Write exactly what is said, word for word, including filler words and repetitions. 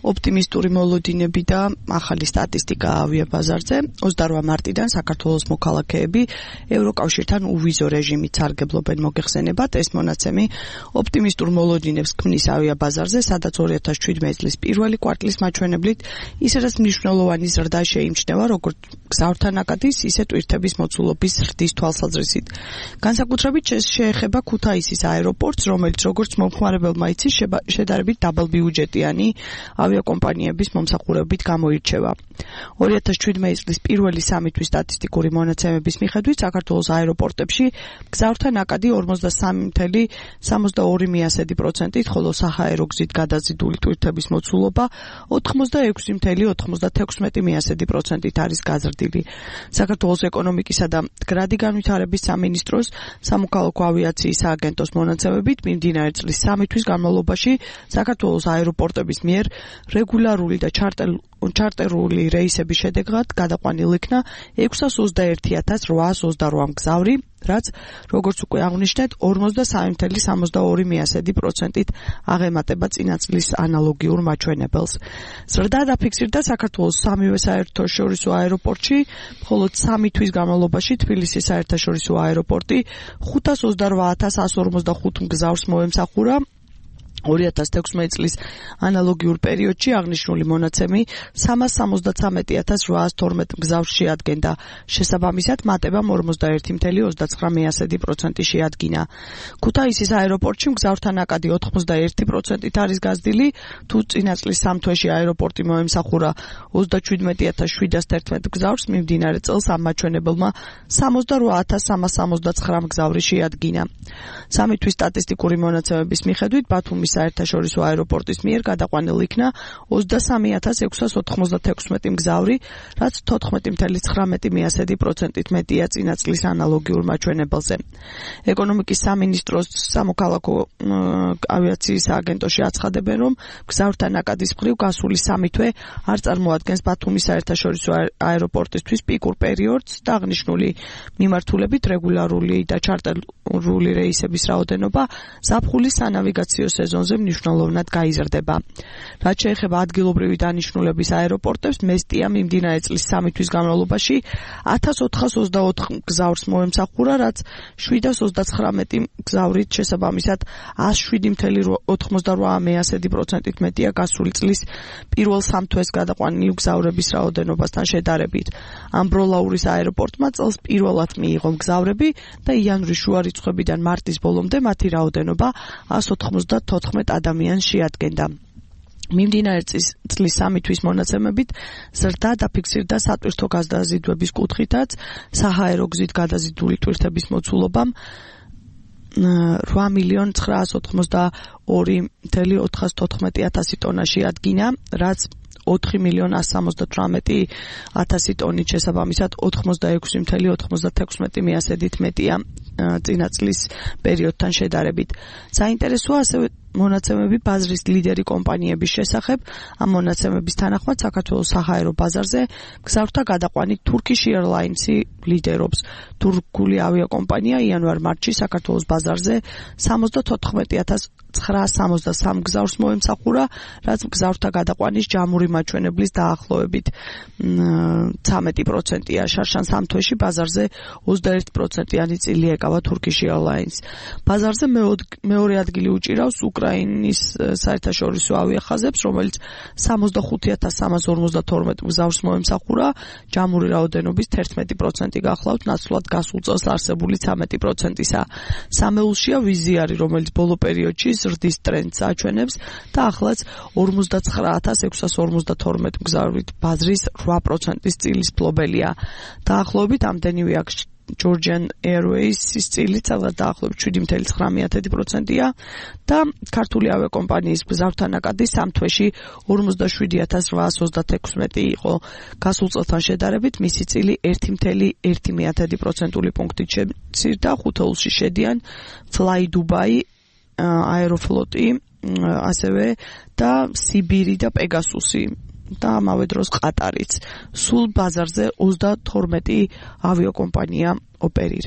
ოპტიმისტური მოლოდინები და ახალი სტატისტიკა ავიაბაზარზე. ოცდაორ მარტიდან საქართველოს მოქალაქეები ევროკავშირთან უვიზო რეჟიმით სარგებლობენ მოგეხსენებათ. ეს მონაცემი ოპტიმისტურ მოლოდინებს ქმნის ავიაბაზარზე, სადაც ორი ათას შვიდმეტი წლის პირველი კვარტლის მაჩვენებლით ისედაც მნიშვნელოვანი ზრდა შეიმჩნევა, როგორც გზავრთა ნაკადის, ისე ტვირთების მოცულობის ზრდის თვალსაზრისით. განსაკუთრებით შეეხება ქუთაისის აეროპორტს, რომელიც როგორც მომხმარებელმა იცის, შედარებით დაბალბიუჯეტიანი ავიაკომპანიების მომსახურებით გამოირჩევა. ორი ათას შვიდმეტი წლის პირველი სამი თვის სტატისტიკური მონაცემების მიხედვით საქართველოს აეროპორტებში გზავრთა ნაკადი ორმოცდასამი წუთი სამოცდაორი პროცენტით, ხოლო საჰაერო გზით გადაზიდული ტვირთების მოცულობა ოთხმოცდაექვსი ოცდათექვსმეტი პროცენტით არის გაზრდილი. საქართველოს ეკონომიკისა და მდგრადი განვითარების სამინისტროს სამოქალაქო ავიაციის სააგენტოს მონაცემებით მიმდინარე წლის სამი თვის განმავლობაში საქართველოს აეროპორტების მიერ რეგულარული და ჩარტერული რეისების შედეგად გადაყვანილ იქნა ექვსას ოცდაერთი ათას რვაას ოცდაორ მგზავრი, რაც როგორც უკვე აღვნიშნეთ, ორმოცდასამი სამოცდაორი პროცენტით აღემატება წინა წლის ანალოგიურ მაჩვენებელს. ზრდა დაფიქსირდა საქართველოს სამივე საერთაშორისო აეროპორტში, მხოლოდ სამი თვის განმავლობაში თბილისის საერთაშორისო აეროპორტი ხუთას ოცდარვა ათას εκατო ორმოცდახუთ მგზავრს მოემსახურა. ორი ათას თექვსმეტი წლის ანალოგიურ პერიოდში აღნიშნული მონაცემი სამას სამოცდათვრამეტი ათას რვაას თორმეტ მგზავრს შეადგენდა. შესაბამისად, მატებამ ორმოცდაერთი ოცდაცხრამეტი პროცენტი შეადგინა. ქუთაისის აეროპორტში მგზავრთა ნაკადი ოთხმოცდაერთი პროცენტით არის გაზრდილი, თუ წინა წლის სამ თვეში აეროპორტი მოემსახურა ოცდაშვიდმეტი ათას შვიდას თერთმეტ მგზავრს, მიმდინარე წელს ამ მაჩვენებელმა სამოცდარვა ათას სამას სამოცდაცხრა მგზავრი შეადგინა. სამი თვის სტატისტიკური მონაცემების მიხედვით ბათუმის საერთაშორისო აეროპორტის მიერ გადაყვანილ იქნა ოცდასამი ათას ექვსას ოცდათექვსმეტი მგზავრი, რაც თოთხმეტი ცხრამეტი პროცენტით მეტია წინა წლის ანალოგიურ მაჩვენებელზე. ეკონომიკის სამინისტროს სამოქალაქო ავიაციის სააგენტოში აცხადებენ, რომ გზავრთა ნაკადის მხრივ გასული სამი თვე არ წარმოადგენს ბათუმის საერთაშორისო აეროპორტისთვის პიკურ პერიოდს და აღნიშნული მიმართულებით რეგულარული და ჩარტერული რეისების რაოდენობა ზაფხულის სანავიგაციო სეზონზე მნიშვნელოვნად გაიზრდება. რაც შეეხება ადგილობრივი დანიშნულების აეროპორტებს, მესტია მიმდინარე წლის სამი თვის განმავლობაში ათას ოთხას ოცდაოთხ მგზავრს მოემსახურა, რაც შვიდას ოცდაცხრამეტი მგზავრით შესაბამისად ას შვიდი ოცდაოთხი პროცენტით მეტია გასული წლის პირველ სამ თვეს გადაყვანილი მგზავრების რაოდენობასთან შედარებით. ამბროლაურის აეროპორტმა წელს პირველად მიიღო მგზავრები და იანვრის შუა რიცხვებიდან მარტის ბოლომდე მათი რაოდენობა ას ოთხმოცდათოთხმეტ ადამიანს შეადგენდა. მიმდინარე წლის სამი თვის მონაცემებით ზრდა დაფიქსირდა სატვირთო გადაზიდვების კუთხითაც, საჰაერო გზით გადაზიდული ტვირთების მოცულობამ რვა მილიონ ცხრაას ოცდაორი ოთხმოცდათოთხმეტი ათასი ტონა შეადგინა, რაც ოთხი მილიონ ასს სამოცდათვრამეტი ათასი ტონით შესაბამისად ოთხმოცდაექვსი ოცდათექვსმეტი პროცენტით მეტია წინა წლის პერიოდთან შედარებით. საინტერესოა ასევე მონაცემები ბაზრის ლიდერი კომპანიების შესახებ. ამ მონაცემების თანახმად საქართველოს საჰაერო ბაზარზე გზავრთა გადაყვანით Turkish Airlines-ი ლიდერობს. თურქული ავიაკომპანია იანვარ-მარტში საქართველოს ბაზარზე სამოცდათოთხმეტი ათას ცხრაას სამოცდასამ მგზავრს მოემსახურა, რაც მგზავრთა გადაყვანის ჯამური მაჩვენებლის დაახლოებით ცამეტი პროცენტია. შარშან სამ თვეში ბაზარზე ოცდაერთი პროცენტიანი წილი ეკავა Turkish Airlines. ბაზარზე მეორე ადგილი უჭირავს უკრაინის საერთაშორისო ავიახაზებს, რომელიც სამოცდახუთი ათას სამას ორმოცდათორმეტ მგზავრს მოემსახურა, ჯამური რაოდენობის თერთმეტი პროცენტი გახლავთ ნაცვლად გასულ წელს არსებული ცამეტი პროცენტისა. სამეულშია ვიზიარი, რომელიც ბოლო პერიოდში ზრდის ტრენდს აჩვენებს და ახლაც ორმოცდაცხრა ათას ექვსას ორმოცდათორმეტ მგზავრით ბაზრის რვა პროცენტის წილის ფლობელია. დაახლოებით ამდენივე აქ Georgian Airways-ის წილი სადღაც დაახლოებით შვიდი ცხრამეტი პროცენტია და ქართული ავიაკომპანიის გზავრთა ნაკადი სამ თვეში ორმოცდაშვიდი ათას რვაას ოცდათექვსმეტი იყო. გასულ წელთან შედარებით მისი წილი ერთი ერთი პროცენტული პუნქტით შემცირდა. ხუთეულში შედიან Fly Dubai, აეროფლოტი, ასევე და სიბირი და პეგასუსი და ამავე დროს ყატარიც. სულ ბაზარზე ოცდათორმეტი ავიაკომპანია ოპერირებს.